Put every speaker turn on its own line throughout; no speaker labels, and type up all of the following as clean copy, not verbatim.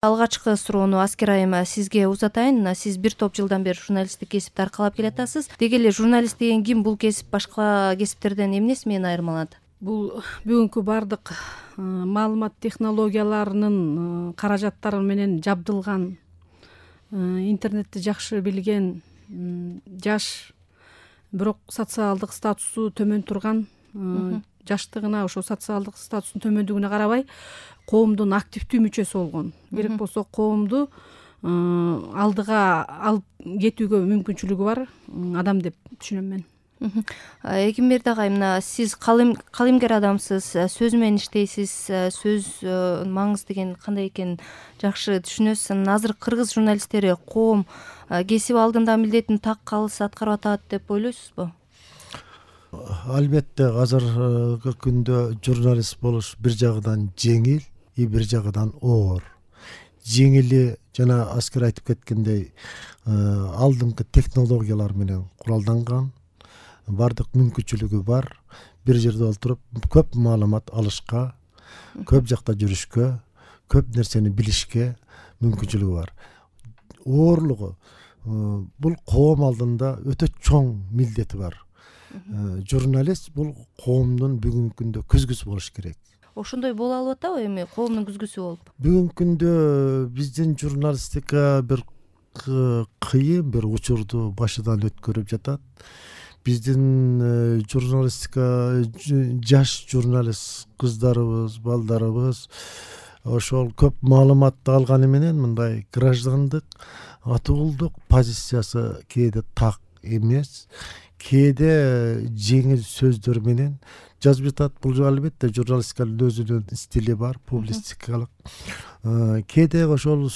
Алгачкы суроону Аскер айым сизге узатайын. Сиз бир топ жылдан бери журналисттик кесипти аркалап келатасыз. Деги эле журналист деген ким? Бул кесип башка кесиптерден эмнеси менен айырмаланат?
Бул бүгүнкү бардык маалымат технологияларынын каражаттары менен жабдылган, интернетти жакшы билген, жаш, бирок социалдык статусу төмөн турган, жаштыгына, ошо социалдык статусунун төмөндүгүнө карабай коомдун активдүү мүчөсү болгон. Керек болсо коомду алдыга алып кетүүгө мүмкүнчүлүгү бар адам деп түшүнөм мен.
Эгемберди агай, мына сиз калемгер адамсыз, сөз менен иштейсиз, сөз маңызы деген кандай экенин жакшы түшүнөсүз. Азыр кыргыз журналисттери коом кесип алдында милдетин так калыс аткарып атат деп ойлойсузбу?
Албетте азыркы күндө журналист болуш бир жагынан жеңил, бир жагынан оор. Жеңили жана Аскер айтып кеткендей, алдыңкы технологиялар менен куралданган, бардык мүмкүнчүлүгү бар. Бир жерде олтуруп көп маалымат алышка, көп жакта жүрүшкө, көп нерсени билишке мүмкүнчүлүгү бар. Оорлугу бул коом алдында өтө чоң милдети бар. Журналист бул коомдун бүгүнкү күндө күзгүсү болуш керек.
Ошондой боло алып атабы эми коомдун күзгүсү болуп?
Бүгүнкү күндө биздин журналистика бир кыйын бир учурду башынан өткөрүп жатат. Биздин журналистика, жаш журналист кыздарыбыз, балдарыбыз ошол көп маалыматты алганы менен мындай граждандык, атуулдук позициясы кээде так эмес, кээде жеңил сөздөр менен жазып жатат. Бул албетте журналистиканын өзүнүн стили бар, публистикалык. Кээде ошол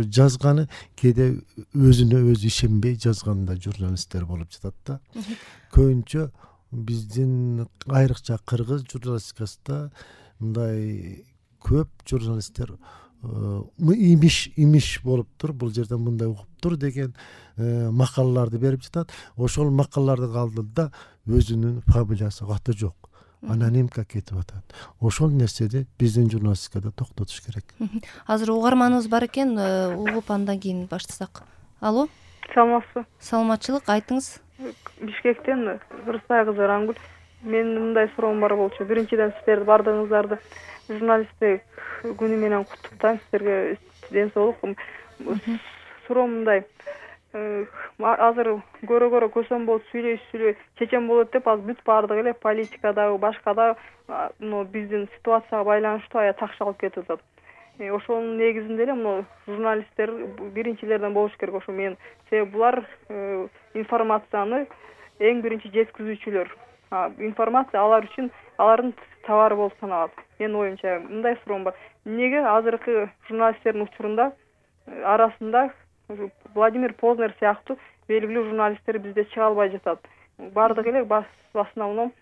жазганы, кээде өзүнө өзү ишенбей жазган да журналисттер болуп жатат да. Көбүнчө биздин айрыкча кыргыз журналистикасында мындай көп журналисттер имиш болуптур, бул жерден мындай угуптур деген макалаларды берип жатат. Ошол макалалардын алдында өзүнүн фамилиясы, аты жок, анонимка кетип атат. Ошол нерсени биздин журналистикада токтотуш керек.
Азыр угарманыбыз бар экен, угуп андан кийин баштасак. Алло.
Саламатсызбы?
Саламатчылык, айтыңыз.
Бишкектен Рысай кызы Рангүл. Менин мындай суроом бар болчу. Биринчиден сиздерди бардыгыңыздарды журналисттик күнү менен куттуктайм. Сиздерге ден соолук. Суроом мындай. Азыр көрө көсөм болуп сүйлөй чечен болот деп азыр бүт бардыгы эле политикадагы, башкада биздин ситуацияга байланыштуу аябай такшы алып кетип атат. Ошонун негизинде эле журналисттер биринчилерден болуш керек. Ошо мен себеби булар информацияны эң биринчи жеткизүүчүлөр. Информация алар үчүн алардын товары болуп саналат. Менин оюмча мындай суроом бар. Эмнеге азыркы журналисттердин учурунда арасында Владимир Познер сыяктуу белгилүү журналисттер бизде чыга албай жатат? Бардыгы эле в основном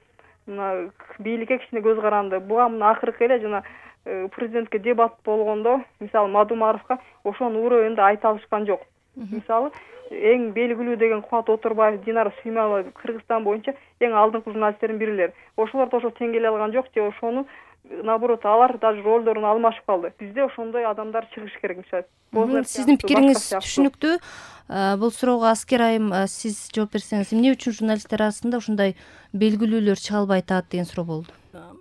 мына бийликке кичине көз каранды. Буга мына акыркы эле жана президентке дебат болгондо, мисалы Мадумаровго ошонун уровенде айта алышкан жок. Мисалы эң белгилүү деген Кубат Отурбаев, Динара Сүймөбаева Кыргызстан боюнча эң алдыңкы журналисттердин биrilер. Ошолорду ошо теңгелей алган жок же ошону наоборот алар даже ролдорун алмашып калды. Бизде ошондой адамдар чыгыш керек.
Сиздин пикириңиз түшүнүктүү. Бул суроого Аскер айым сиз жооп берсеңиз, эмне үчүн журналисттер арасында ушундай белгилүүлөр чыга албай атат деген суроо болду.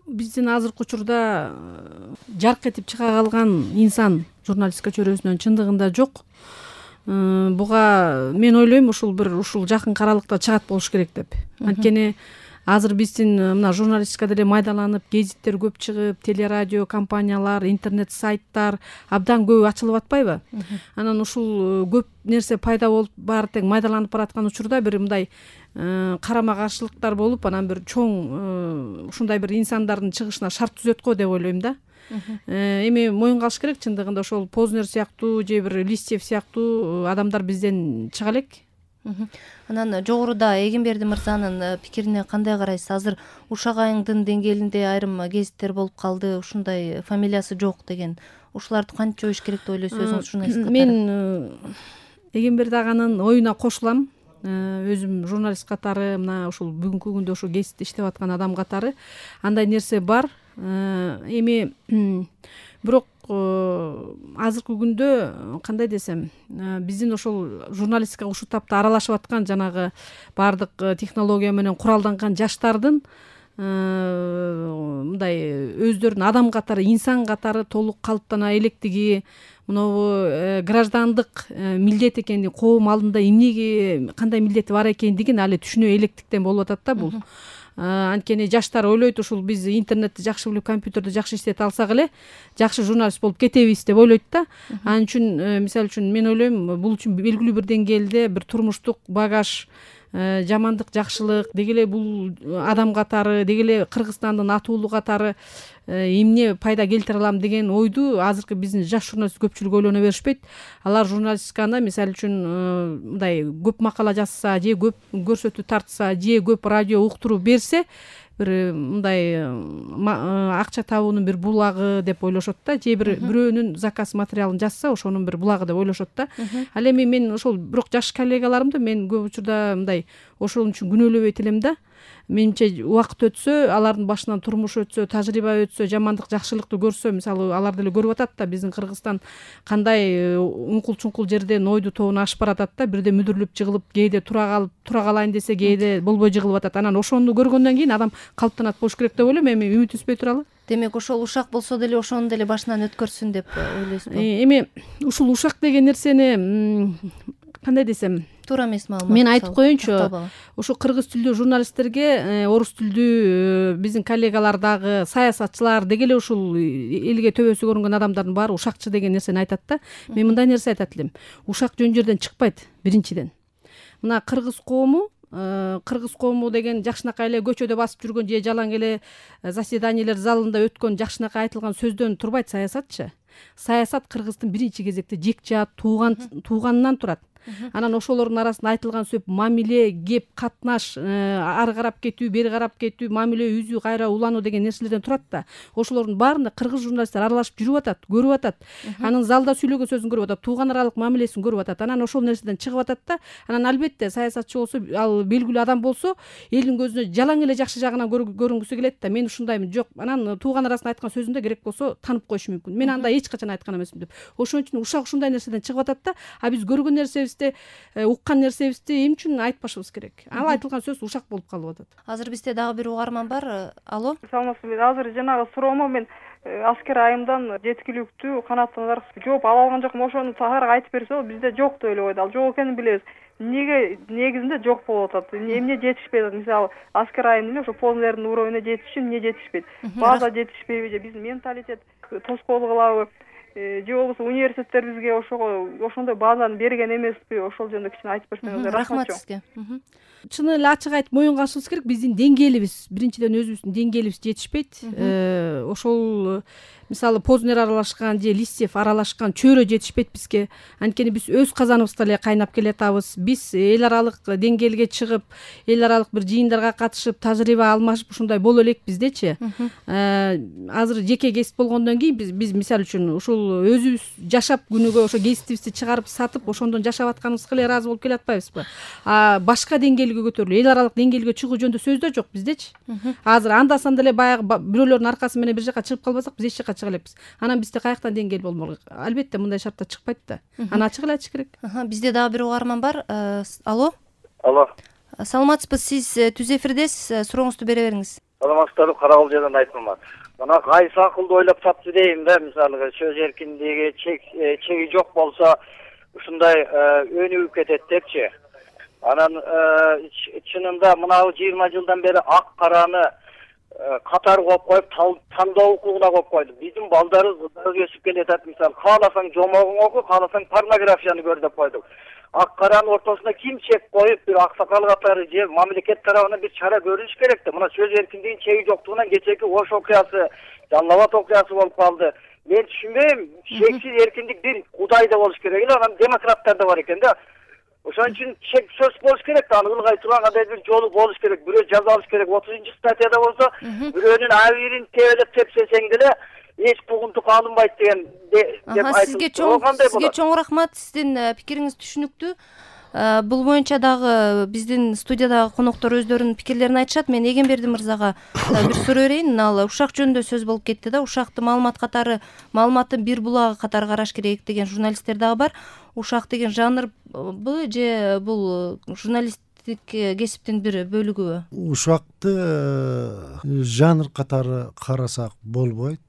Биздин азыркы учурда жарк этип чыга калган инсан журналистика чөйрөсүнөн чындыгында жок. Буга мен ойлойм ушул жакын аралыкта чыгат болуш керек деп. Анткени азыр биздин мына журналистикада эле майдаланып, гезиттер көп чыгып, телерадио компаниялар, интернет сайттар абдан көп ачылып атпайбы? Анан ушул көп нерсе пайда болуп, баары тең майдаланып бараткан учурда бир мындай карама каршылыктар болуп, анан бир чоң ушундай бир инсандардын чыгышына шарт түзөт го деп ойлойм да. Эми моюнга алыш керек, чындыгында ошол Познер сыяктуу же бир Листьев сыяктуу адамдар бизден чыга элек.
Анан жогоруда Эгемберди мырзанын пикирине кандай карайсыз? Азыр Ушак айыңдын деңгээлинде айрым гезиттер болуп калды, ушундай фамилиясы жок деген. Ушуларды кантип жоюш керек деп ойлойсуз өзүңүз журналист катары?
Мен Эгемберди аганын оюна кошулам. Өзүм журналист катары, мына ушул бүгүнкү күндө ошо гезитте иштеп аткан адам катары андай нерсе бар. Эми бирок азыркы күндө кандай десем, биздин ошол журналистикага ушул тапта аралашып аткан жанагы баардык технология менен куралданган жаштардын мындай өздөрүн адам катары, инсан катары толук калыптана электиги, мынабу граждандык милдет экенин, коом алдында эмнеге кандай милдети бар экендигин али түшүнө электиктен болуп атат да бул. Анткени жаштар ойлойт ушул биз интернетти жакшы билип, компьютерди жакшы иштете алсак эле жакшы журналист болуп кетебиз деп ойлойт да. Анын үчүн мисалы үчүн мен ойлойм, бул үчүн белгилүү бир деңгээлде бир турмуштук багаж, жамандык, жакшылык, деги эле бул адам катары, деги эле Кыргызстандын атуулу катары эмне пайда келтире алам деген ойду азыркы биздин жаш журналист көпчүлүк ойлоно беришпейт. Алар журналистиканы мисалы үчүн мындай көп макала жазса, же көп көрсөтүү тартса, же көп радио уктуруп берсе, бир мындай акча табуунун бир булагы деп ойлошот да, же бирөөнүн заказ материалын жазса, ошонун бир булагы деп ойлошот да. Ал эми мен ошол бирок жаш коллегаларымды мен көп учурда мындай ошол үчүн күнөөлөбөйт элем да. Менимче убакыт өтсө, алардын башынан турмуш өтсө, тажрыйба өтсө, жамандык, жакшылыкты көрсө, мисалы алар деле көрүп атат да, биздин Кыргызстан кандай уңкул-чуңкул жерден ойду тобуна ашып баратат да, бирде мүдүрүлүп жыгылып, кээде тура калайын десе, кээде болбой жыгылып атат. Анан ошону көргөндөн кийин адам калыптанат болуш керек деп ойлойм. Эми үмүт үзбөй туралы.
Демек ошол ушак болсо деле ошону деле башынан өткөрсүн деп ойлойсузбу?
Эми ушул ушак деген нерсени кандай десем,
туура эмес маалымат.
Мен айтып коеюнчу, ушу кыргыз tilдүү журналисттерге, орус tilдүү биздин коллегалар дагы, саясатчылар, деги эле ушул элге төбөсү көрүнгөн адамдардын баары ушакчы деген нерсени айтат да. Мен мындай нерсе айтат элем. Ушак жөн жерден чыкпайт, биринчиден. Мына кыргыз коому деген жакшынакай эле көчөдө басып жүргөн же жалаң эле заседаниелер залында өткөн жакшынакай айтылган сөздөн турбайт саясатчы. Саясат Кыргыздын биринчи кезекте жекжат тууганынан турат. Анан ошолордун арасында айтылган сөп мамиле, кеп, катнаш, ары карап кетүү, бери карап кетүү, мамиле үзүү, кайра улануу деген нерселерден турат да. Ошолордун баарында кыргыз журналисттер аралашып жүрүп атат, көрүп атат. Анын залда сүйлөгөн сөзүн көрүп атат, тууган аралык мамилесин көрүп атат. Анан ошол нерседен чыгып атат да. Анан албетте саясатчы болсо, ал белгилүү адам болсо, элдин көзүнө жалаң эле жакшы жагынан көрүнгүсү келет да. Мен ушундаймын, жок. Анан тууган арасында айткан сөзүндө керек болсо танып коюшу мүмкүн. Мен андай эч качан айткан эмесмин деп. Ошон үчүн ушак ушундай нерседен чыгып атат да. А биз көргөн нерсебизди, уккан нерсебизди эмне үчүн айтпашыбыз керек? Ал айтылган сөз ушак болуп калып атат.
Азыр бизде дагы бир угарман бар. Алло.
Саламатсызбы. Азыр жанагы суроомо мен аскер айымдан жеткиликтүү канаттанар жооп ала алган жокмун. Ошону тагыраак айтып берсе болот. Бизде жок деп эле койду. Ал жок экенин билебиз. Эмнеге негизинде жок болуп атат? Эмне жетишпей атат? Мисалы, аскер айым эле ошо полнердин уровнуна жетиш үчүн эмне жетишпейт? База жетишпейби же биздин менталитет тоскоол кылабы? Же болбосо университеттер бизге ошондой базаны берген эмеспи? Ошол жөнүндө кичине айтып берсеңиз.
Рахмат сизге.
Чын эле ачык айтып моюнга алышыбыз керек. Биздин деңгээлибиз, биринчиден өзүбүздүн деңгээлибиз жетишпейт. Ошол мисалы Познер аралашкан же Листьев аралашкан чөйрө жетишпейт бизге. Анткени биз өз казаныбызда эле кайнап келатабыз. Биз эл аралык деңгээлге чыгып, эл аралык бир жыйындарга катышып, тажрыйба алмашып ушундай боло элек биздечи. Азыр жеке кесип болгондон кийин биз мисалы үчүн ушул өзүбүз жашап күнүгө ошо кесибибизди чыгарып сатып, ошондон жашап атканыбызга эле ыраазы болуп келатпайбызбы? Башка деңгээлге көтөрүлүп, эл аралык деңгээлге чыгуу жөнүндө сөз да жок биздечи. Азыр анда-санда эле баягы бирөөлөрдүн аркасы менен бир жака чыгып калбасак, биз эч жака чыга элекпиз. Анан бизде каяктан деңгээл болмок? Албетте мындай шартта чыкпайт да. Аны ачык эле айтыш керек.
Бизде дагы бир угарман бар. Алло.
Алло.
Саламатсызбы, сиз түз эфирдесиз. Сурооңузду бере бериңиз.
Саламатсыздарбы, Карагул жерден Айтмамат. Мына кайсы акылды ойлоп тапты дейм да, мисалы сөз эркиндиги чеги жок болсо ушундай өнүгүп кетет депчи. Анан чынында мына 20 жылдан бери ак караны катар коюп коюп тандоо укугуна коюп койду. Биздин балдарыбыз өсүп келатат, мисалы кааласаң жомогуң оку, кааласаң порнографияны көр деп койдук. Ак каранын ортосуна ким чек коюп, бир аксакал катары же мамлекет тарабынан бир чара көрүлүш керек да. Мына сөз эркиндигинин чеги жоктугунан кечеки Ош окуясы, Жалал Абад окуясы болуп калды. Мен түшүнбөйм, шексиз эркиндик бир Кудайда болуш керек эле, анан демократтарда бар экен да. Ошон үчүн чек сөз болуш керек да, аны ылгай турган кандай бир жолу болуш керек. Бирөө жаза алыш керек. 30-статьяда болсо, бирөөнүн абийирин тебелеп тепсесең деле эч кугунтук алынбайт деген деп айтылды.
Сизге чоң рахмат. Сиздин пикириңиз түшүнүктүү. Бул боюнча дагы биздин студиядагы коноктор өздөрүнүн пикирлерин айтышат. Мен Эгемберди мырзага бир суроо берейин. Ал ушак жөнүндө сөз болуп кетти да. Ушакты маалыматтын бир булагы катары караш керек деген журналисттер дагы бар. Ушак деген жанрбы же бул журналисттик кесиптин бир бөлүгүбү?
Ушакты жанр катары карасак болбойт.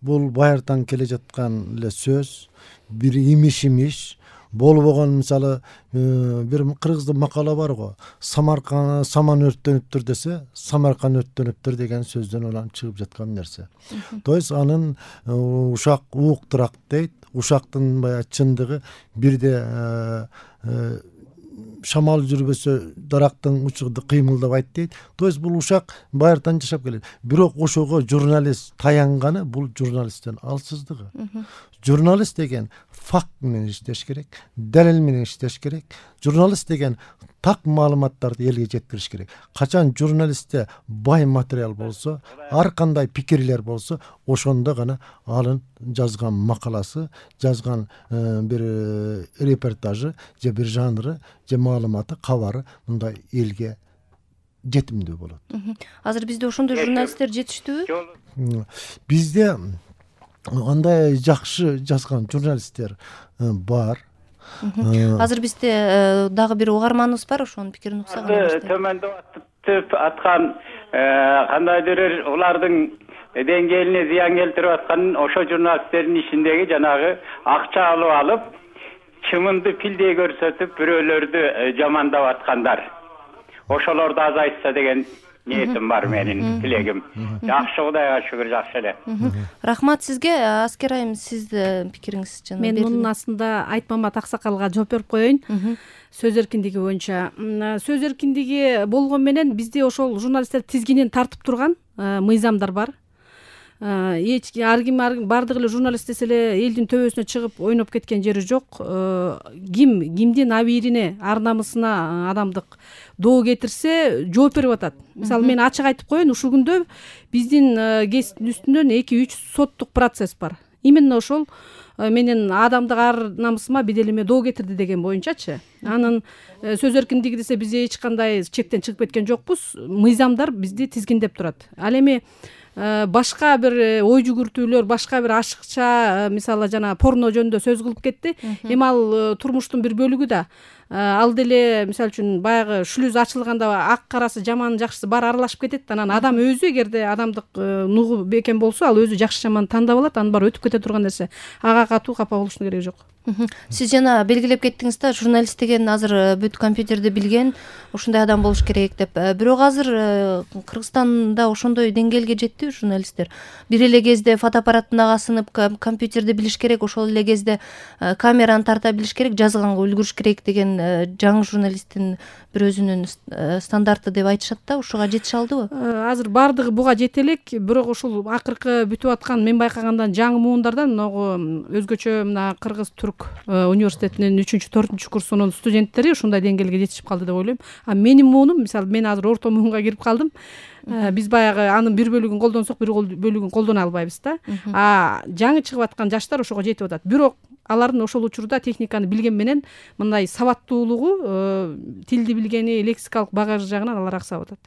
Бул байыртан келе жаткан эле сөз, бир имиш болбогон. Мисалы бир кыргызда макала бар го, саман өрттөнүптүр десе, Самаркан өрттөнүптүр деген сөздөн улам чыгып жаткан нерсе. То есть анын ушак ууктурак дейт. Ушактын баягы чындыгы бирде шамал жүрбөсө дарактын учугу кыймылдабайт дейт. То есть бул ушак байыртан жашап келет. Бирок ошого журналист таянганы бул журналисттин алсыздыгы. Журналист деген факт менен иштеш керек, далил менен иштеш керек. Журналист деген так маалыматтарды элге жеткириш керек. Качан журналистте бай материал болсо, ар кандай пикирлер болсо, ошондо гана анын жазган макаласы, жазган бир репортажы же бир жанры же маалыматы, кабары мындай элге жетимдүү болот.
Азыр бизде ошондой журналисттер жетиштүүбү?
Бизде андай жакшы жазган журналисттер бар.
Азыр бизде дагы бир угарманыбыз бар, ошонун пикирин уксак.
Төмөндөп аткан кандайдыр улардын деңгээлине зыян келтирип аткан ошо журналисттердин ишиндеги жанагы акча алып чымынды пилдей көрсөтүп бирөөлөрдү жамандап аткандар. Ошолорду азайтса деген ниетим бар, менин тилегим. Жакшы, Кудайга шүгүр, жакшы эле.
Рахмат сизге. Аскер айым, сиздин пикириңиз жана
мен мунун астында Айтмамат Аксакалга жооп берип коеюн. Сөз эркиндиги боюнча. Сөз эркиндиги болгон менен бизде ошол журналисттер тизгинин тартып турган мыйзамдар бар. Ар ким бардык эле журналист десе эле элдин төбөсүнө чыгып ойноп кеткен жери жок. Кимдин абийирине, ар намысына адамдык доо кетирсе жооп берип атат. Мисалы мен ачык айтып коеюн, ушул күндө биздин кесиптин үстүнөн 2-3 соттук процесс бар. Именно ошол менин адамдык ар намысыма беделиме доо кетирди деген боюнчачы. Анын сөз эркиндиги десе биз эч кандай чектен чыгып кеткен жокпуз. Мыйзамдар бизди тизгиндеп турат. Ал эми башка бир ой жүгүртүүлөр, башка бир ашыкча, мисалы жана порно жөнүндө сөз кылып кетти. Эми ал турмуштун бир бөлүгү да. Ал деле мисалы үчүн баягы шлюз ачылганда ак карасы, жаман жакшысы баары аралашып кетет. Анан адам өзү эгерде адамдык нугу бекем болсо, ал өзү жакшы жаман тандап алат. Анын баары өтүп кете турган нерсе. Ага катуу капа болуштун кереги жок.
Сиз жана белгилеп кеттиңиз да, журналист деген азыр бүт компьютерди билген ушундай адам болуш керек деп. Бирок азыр Кыргызстанда ошондой деңгээлге жеттиби журналисттер? Бир эле кезде фотоаппараттын ага сынып компьютерди билиш керек, ошол эле кезде камераны тарта билиш керек, жазганга үлгүрүш керек деген жаңы журналисттин бир өзүнүн стандарты деп айтышат да. Ушуга жетише алдыбы?
Азыр бардыгы буга жете элек, бирок ушул акыркы бүтүп аткан мен байкагандан жаңы муундардан могу өзгөчө мына Кыргыз Түрк университетинин 3-4 курсунун студенттери ушундай деңгээлге жетишип калды деп ойлойм. А менин муунум, мисалы мен азыр орто муунга кирип калдым. Биз баягы анын бир бөлүгүн колдонсок, бир бөлүгүн колдоно албайбыз да. Жаңы чыгып аткан жаштар ошого жетип атат. Бирок алардын ошол учурда техниканы билген менен мындай сабаттуулугу, тилди билгени, лексикалык багажы жагынан алар аксап атат.